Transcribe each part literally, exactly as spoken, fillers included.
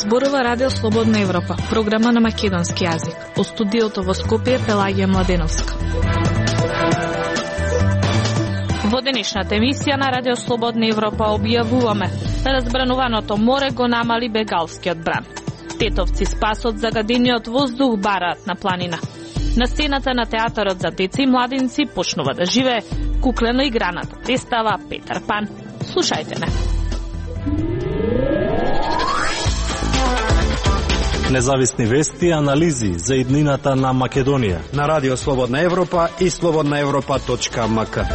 Зборува Радио Слободна Европа, програма на македонски јазик. Во студиото во Скопје Пелагија Младеновска. Во денешната емисија на Радио Слободна Европа објавуваме: разбрануваното море го намали бегалскиот бран. Тетовци спасот загадениот воздух бараат на планина. На сцената на театарот за деца и младинци почнува да живее куклено играната представа Петар Пан. Слушајте не. Независни вести и анализи за иднината на Македонија на Радио Слободна Европа и слободна европа точка ем ка.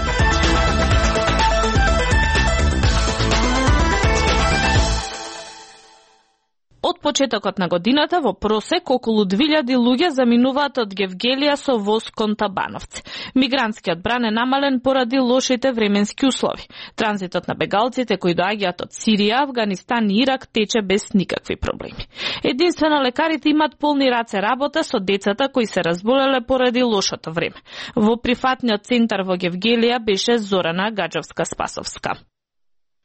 Од почетокот на годината во просек околу две илјади луѓе заминуваат од Гевгелија со воз кон Табановци. Мигрантскиот бран е намален поради лошите временски услови. Транзитот на бегалците кои доаѓаат од Сирија, Авганистан и Ирак тече без никакви проблеми. Единствено лекарите имаат полни раце работа со децата кои се разболеле поради лошото време. Во прифатниот центар во Гевгелија беше Зорана Гаджовска-Спасовска.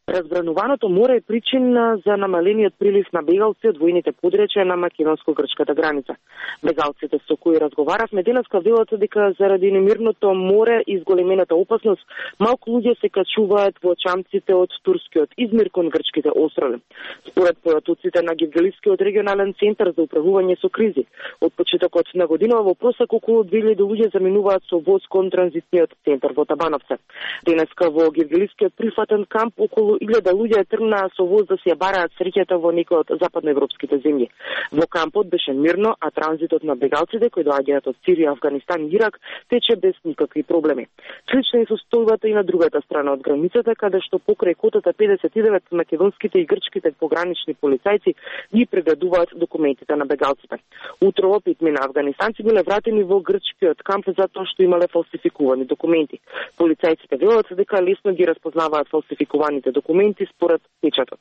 Разбрануваното море е причина за намалениот прилив на бегалци од војните подречја на македонско-грчката граница. Бегалците со кои разговаравме денеска велат дека заради немирното море и зголемената опасност, малку луѓе се качуваат во чамците од турскиот Измир кон грчките острови. Според појатоците на Гевгелискиот регионален центар за управување со кризи, од почетокот на година во просек околу две илјади луѓе заминуваат со воз кон транзитниот центар во Табановце. Денеска во Гевгелискиот прифатен камп околу илјада луѓе тргнаа со воз да си ја бараат среќата во некои од западноевропските земји. Во кампот беше мирно, а транзитот на бегалците кои доаѓаат од Сирија, Авганистан и Ирак тече без никакви проблеми. Слична е состојбата и на другата страна од границата, каде што покрај котата педесет и девет македонските и грчките погранични полицајци ги прегледуваат документите на бегалците. Утрово петмина афганистанци биле вратени во грчкиот камп затоа што имале фалсификувани документи. Полицајците велат дека лесно ги разпознаваат фалсификуваните документи според печатот.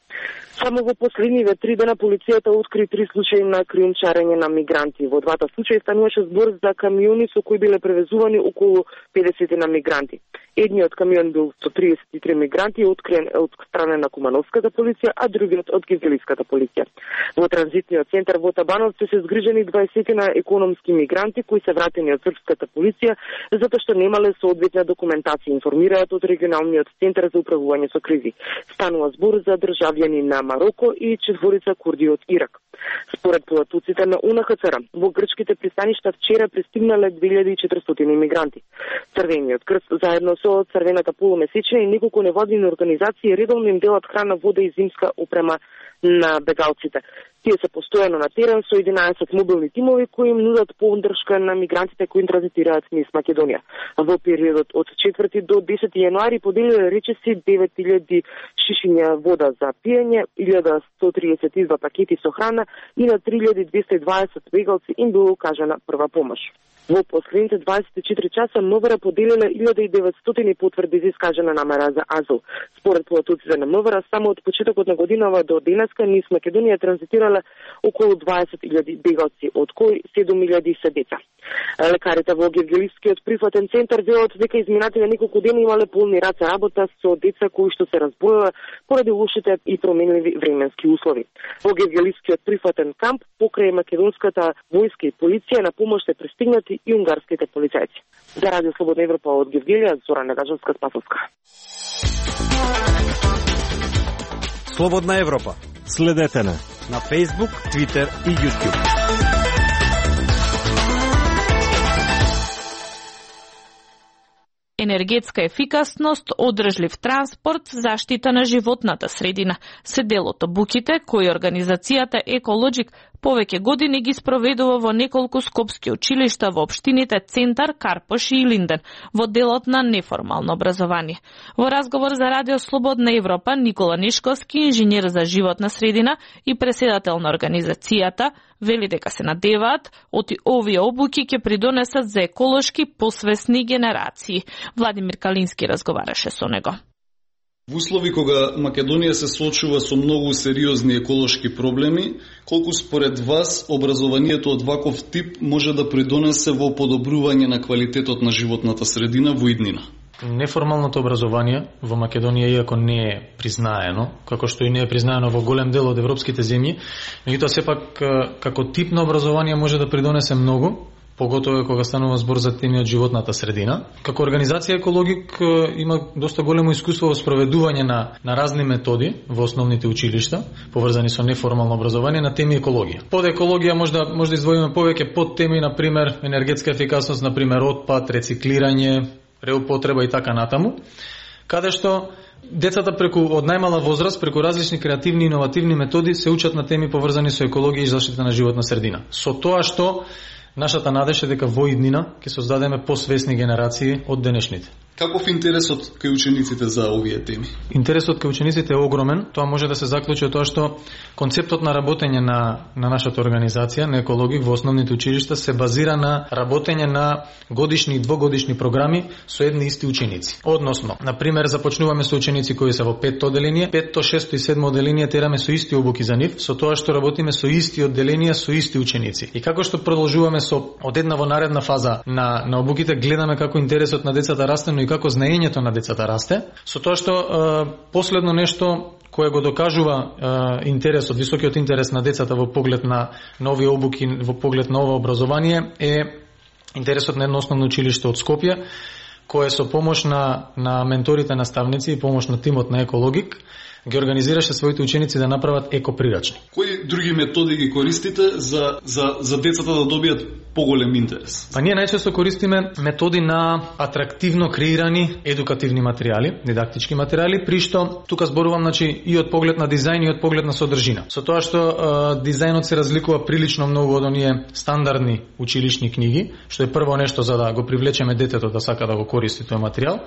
Само во последниве три дена полицијата откри три случаи на криумчарење на мигранти. Во двата случаи стануваше збор за камиони со кои биле превезувани околу педесет на мигранти. Едниот камион бил со триесет и три мигранти откриен од страна на Кумановската полиција, а другиот од Гевгелиската полиција. Во транзитниот центар во Табановци се згрижени дваесет на економски мигранти кои се вратени од српската полиција затоа што немале соодветна документација, информираат од регионалниот центар за управување со кризи. Станува збор за државјани на Мароко и четворица курди од Ирак. Според појатоците на У Ен Хац Р, во грчките пристаништа вчера пристигнале две илјади и четиристотини мигранти. Црвениот крст заедно со Црвената полумесечина и неколку невладини организации редовно им делат храна, вода и зимска опрема на бегалците. Тие се постојано на терен со единаесет мобилни тимови кои им нудат поддршка на мигрантите кои транзитираат низ Македонија. Во периодот од четврти до десети јануари поделиле речиси девет илјади шишиња вода за пиење, илјада сто триесет и два пакети со храна и на три илјади двесте и дваесет бегалци им било укажана прва помош. Во последните дваесет и четири часа МВР поделиле илјада и деветстотини потврди за искажана намера за азил. Според појатоците на МВР, само од почетокот на годинава до денеска низ Македонија транзитирале околу дваесет илјади бегалци, од кои седум илјади се деца. Лекарите во Гевгелискиот прифатен центар велат дека изминатите неколку дена имале полни раце работа со деца кои што се разболеле поради лошите и променливи временски услови. Во Гевгелискиот прифатен камп покрај македонската војска и полиција на помош се пристигнати и унгарските полицајци. За Радио Слободна Европа од Гевгелија, Зорана Гаджовска-Спасовска. Слободна Европа. Следете на на Facebook, Twitter и YouTube. Енергетска ефикасност, одржлив транспорт, заштита на животната средина се дел од обуките кои организацијата Екологик повеќе години ги спроведува во неколку скопски училишта во општините Центар, Карпош и Илинден во делот на неформално образование. Во разговор за Радио Слободна Европа, Никола Нишковски, инженер за животна средина и преседател на организацијата, вели дека се надеваат оти овие обуки ќе придонесат за еколошки посвесни генерации. Владимир Калински разговараше со него. Во услови кога Македонија се соочува со многу сериозни еколошки проблеми, колку според вас образованието од ваков тип може да придонесе во подобрување на квалитетот на животната средина во иднина? Неформалното образование во Македонија, иако не е признаено, како што и не е признаено во голем дел од европските земји, меѓутоа сепак како тип на образование може да придонесе многу, поготово кога станува збор за теми од животната средина. Како организација Екологик има доста големо искуство во спроведување на, на разни методи во основните училишта, поврзани со неформално образование на теми екологија. Под екологија може да, може да издвоиме повеќе под теми, например, енергетска ефикасност, например, отпад, рециклирање, реупотреба и така натаму, каде што децата преку од најмала возраст, преку различни креативни и иновативни методи се учат на теми поврзани со екологија и заштита на животна средина. Со тоа што нашата надеж е дека во иднина ќе создадеме посвесни генерации од денешните. Каков интересот кај учениците за овие теми? Интересот кај учениците е огромен. Тоа може да се заклучи од тоа што концептот на работење на, на нашата организација, на Екологик во основните училишта, се базира на работење на годишни и двогодишни програми со едни исти ученици. Односно, например, започнуваме со ученици кои се во петто одделение, петто, шесто и седмо одделение тераме со исти обуки за нив, со тоа што работиме со исти одделенија, со исти ученици. И како што продолжуваме со од една во наредна фаза на, на обуките, гледаме како интересот на децата расте, но и како знаењето на децата расте, со тоа што е, последно нешто кое го докажува е, интересот, високиот интерес на децата во поглед на нови обуки, во поглед на ова образование е интересот на едно основно училиште од Скопје, кое со помош на, на менторите наставници и помош на тимот на Екологик ги организираше своите ученици да направат екоприрачни. Кои други методи ги користите за, за, за децата да добијат поголем интерес? Па ние најчесто користиме методи на атрактивно креирани едукативни материјали, дидактички материјали, при што тука зборувам, значи, и од поглед на дизајн и од поглед на содржина. Со тоа што е, дизајнот се разликува прилично многу од оние стандардни училишни книги, што е прво нешто за да го привлечеме детето да сака да го користи тој материјал,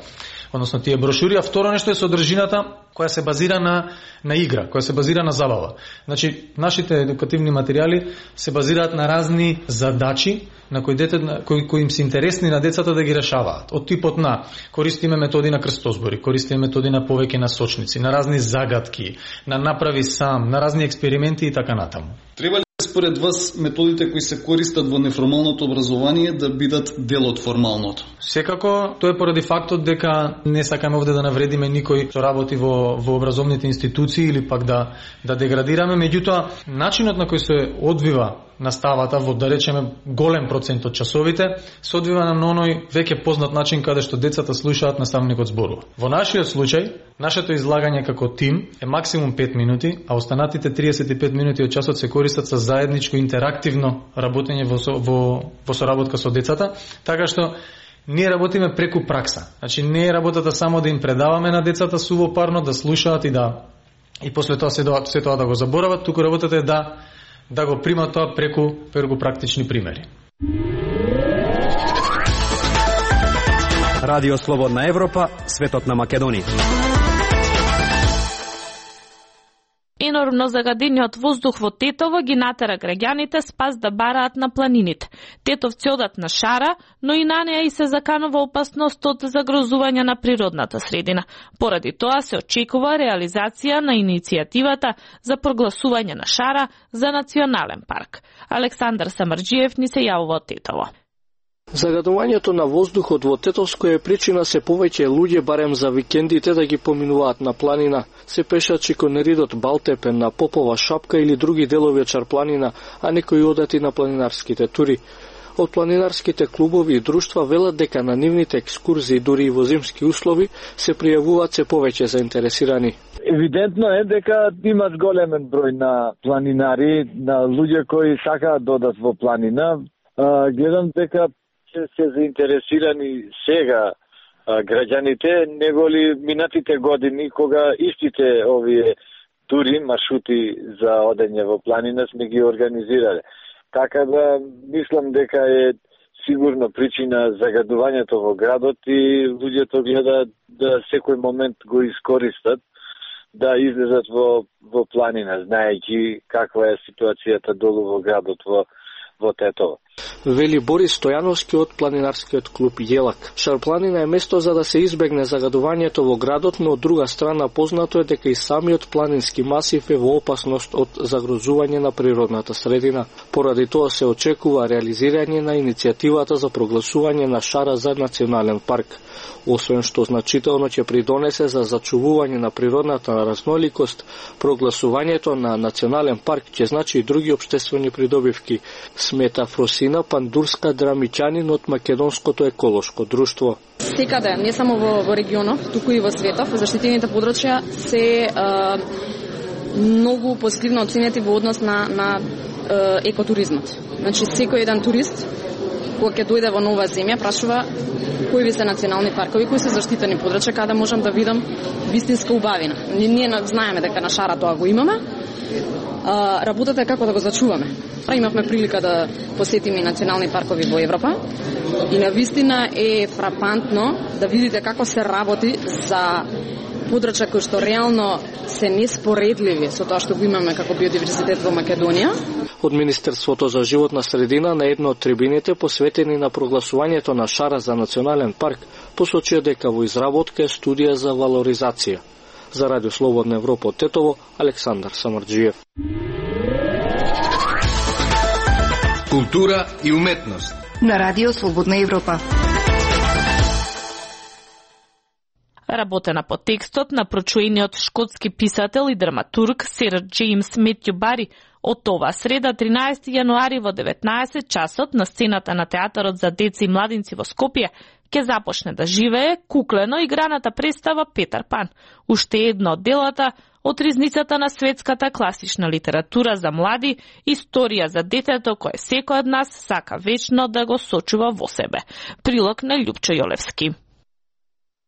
односно тие брошури, а второ нешто е содржината која се базира на, на игра, која се базира на забава. Значи, нашите едукативни материјали се базираат на разни задачи на кои, дете, кои, кои им се интересни на децата да ги решаваат. Од типот на користиме методи на крстозбори, користиме методи на повеќе насочници, на разни загадки, на направи сам, на разни експерименти и така натаму. Треба ли според вас методите кои се користат во неформалното образование да бидат дел од формалното? Секако, тоа е поради фактот дека не сакаме овде да навредиме никој што работи во, во образовните институции или пак да, да деградираме, меѓутоа начинот на кој се одвива наставата во, да речеме, голем процент од часовите, се одвива на оној веќе познат начин каде што децата слушаат, наставникот зборува. Во нашиот случај, нашето излагање како тим е максимум пет минути, а останатите триесет и пет минути од часот се користат со заедничко интерактивно работење во, во, во соработка со децата, така што ние работиме преку пракса. Значи не е работата само да им предаваме на децата сувопарно, да слушаат и да и после тоа се, се тоа да го заборават, туку работата е да да го примат тоа преку преку практични примери. Радио Слободна Европа, светот на Македонија. Енормно загадениот воздух во Тетово ги натера граѓаните спас да бараат на планините. Тетовци одат на шара, но и на неа и се заканува опасност од загрозување на природната средина. Поради тоа се очекува реализација на иницијативата за прогласување на шара за национален парк. Александар Самарџиев ни се јавува од Тетово. Загадувањето на воздухот во Тетовско е причина се повеќе луѓе барем за викендите да ги поминуваат на планина, се пешачи кон ридот Балтепен, на Попова шапка или други делови од Чарпланина, а некои одат и на планинарските тури. Од планинарските клубови и друштва велат дека на нивните екскурзии, дури и во зимски услови, се пријавуваат се повеќе заинтересирани. Евидентно е дека имаш големен број на планинари, на луѓе кои сакаат да одат во планина. Гледам дека се заинтересирани сега а, граѓаните, неголи минатите години, кога истите овие тури, маршрути за одење во планина сме ги организирале. Така да, мислам дека е сигурно причина загадувањето во градот и луѓето гледаат да секој момент го искористат да излезат во, во планина, знаејќи каква е ситуацијата долу во градот во, во Тетово. Вели Борис Стојановски од планинарскиот клуб Јелак. Шарпланина е место за да се избегне загадувањето во градот, но од друга страна познато е дека и самиот планински масив е во опасност од загрозување на природната средина. Поради тоа се очекува реализирање на иницијативата за прогласување на Шара за национален парк. Освен што значително ќе придонесе за зачувување на природната разноликост, прогласувањето на национален парк ќе значи и други општествени придобивки, смета Фросина Пандурска Драмичанин од Македонското еколошко друштво. Секаде, не само во, во регионот, туку и во светот, заштитените подрачја се а, многу позитивно оценети во однос на, на а, екотуризмот. Значи, секој еден турист, кога ќе дојде во нова земја, прашува кои ви се национални паркови, кои се заштитени подрачја, каде можам да видам вистинска убавина. Ние знаеме дека на Шара тоа го имаме, а, работата е како да го зачуваме. Имавме прилика да посетиме национални паркови во Европа и на вистина е фрапантно да видите како се работи за подрачја кои што реално се неспоредливи со тоа што го имаме како биодиверзитет во Македонија. Од Министерството за животна средина на едно од трибините посветени на прогласувањето на Шара за национален парк посочија дека во изработка е студија за валоризација. За Радио Слободна Европа од Тетово, Александар Самарџиев. Култура и уметност на Радио Слободна Европа. Работена по текстот на прочуениот шкотски писател и драматург Сер Джеймс Метју Бари од оваа среда тринаесети јануари во деветнаесет часот на сцената на театарот за деца и младинци во Скопје ќе започне да живее куклено играната представа Петар Пан, уште едно од делата од ризницата на светската класична литература за млади, историја за детето кое секој од нас сака вечно да го сочува во себе. Прилог на Љупчо Јолевски.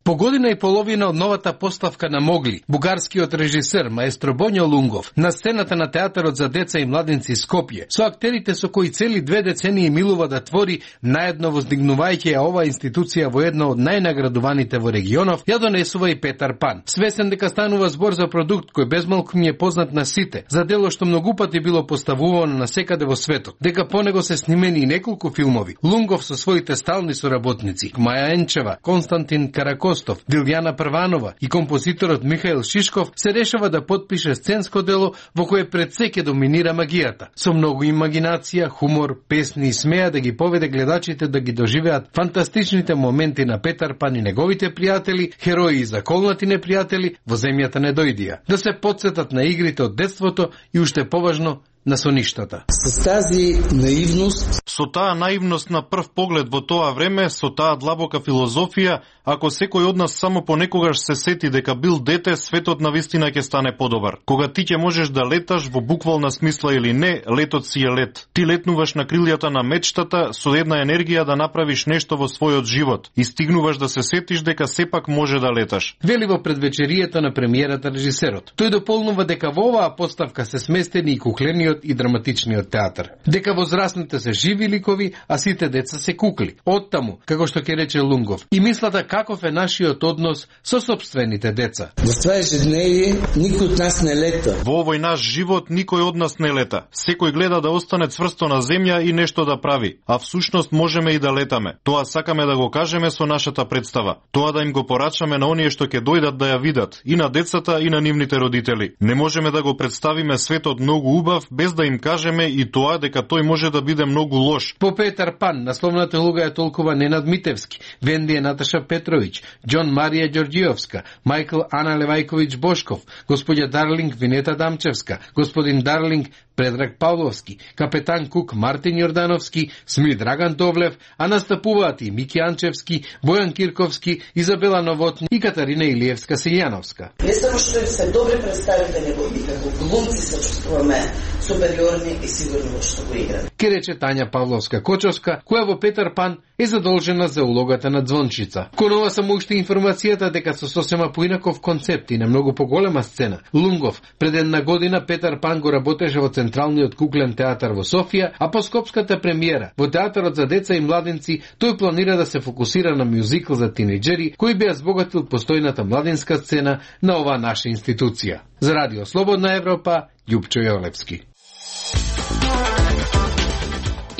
По година и половина од новата поставка на Могли, бугарскиот режисер маестро Боњо Лунгов на сцената на театарот за деца и младинци Скопје, со актерите со кои цели две децении милува да твори, наедно воздигнувајќи ја оваа институција во едно од најнаградуваните во регионов, ја донесува и Петар Пан. Свесен дека станува збор за продукт кој безмалку ми е познат на сите, за дело што многу пати било поставувано на секаде во светот, дека по него се снимени и неколку филмови, Лунгов со своите стални соработници, Маја Енчева, Константин Каракос, Дилјана Прванова и композиторот Михаил Шишков се решава да подпише сценско дело во кое пред се ќе доминира магијата. Со многу имагинација, хумор, песни и смеа да ги поведе гледачите да ги доживеат фантастичните моменти на Петар Пан и неговите пријатели, херои и заколнати непријатели во земјата не дојдија. Да се потсетат на игрите од детството и уште поважно на соништата. С тази наивност, со таа наивност на прв поглед во тоа време, со таа длабока филозофија, ако секој од нас само понекогаш се сети дека бил дете, светот на вистина ќе стане подобар. Кога ти ќе можеш да леташ во буквална смисла или не, летот си е лет. Ти летнуваш на крилјата на мечтата со една енергија да направиш нешто во својот живот и стигнуваш да се сетиш дека сепак може да леташ. Вели во предвечерието на премиерата режисерот. Тој дополнува дека во оваа поставка се сместени и куклениот и драматичниот театар. Дека возрастните се живи ликови, а сите деца се кукли. Оттаму, како што ќе рече Лунгов, и мислата каков е нашиот однос со сопствените деца. Во това ежедневие никој од нас не лета. Во овој наш живот никој од нас не лета. Секој гледа да остане цврсто на земја и нешто да прави, а всушност можеме и да летаме. Тоа сакаме да го кажеме со нашата представа. Тоа да им го порачаме на оние што ќе дојдат да ја видат, и на децата и на нивните родители. Не можеме да го представиме светот многу убав без да им кажеме и тоа дека тој може да биде многу лош. По Петар Пан насловната улога е толкова Ненад Митевски, Венди е Наташа Петровиќ, Џон Марија Ѓорѓиовска, Мајкл Ана Левајковиќ Бошков, господја Дарлинг Винета Дамчевска, господин Дарлинг Предраг Павловски, капетан Кук Мартин Јордановски, Сми Драган Довлев, а настапуваат и Мики Анчевски, Бојан Кирковски, Изабела Новотни и Катарина Илиевска Силјановска. Не само што се добри представители, него и како глумци се чувствуваме супериорни и сигурни во што го играме. Ке рече Тања Павловска Кочовска, која во Петар Пан е задолжена за улогата на Звончица. Кон ова само уште информацијата дека со сосема поинаков концепт и на многу поголема сцена, Лунгов пред една година Петар Пан го работеше во Централниот куклен театар во Софија, а по скопската премиера во театарот за деца и младинци тој планира да се фокусира на мюзикл за тинејџери кој би ја збогатил постојната младинска сцена на оваа наша институција. За Радио Слободна Европа, Љупчо Јолевски.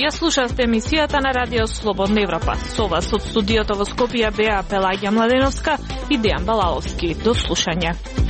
Ја слушавте емисијата на Радио Слободна Европа. Со вас од студиото во Скопје беа Пелагија Младеновска и Дејан Балаловски. До слушање.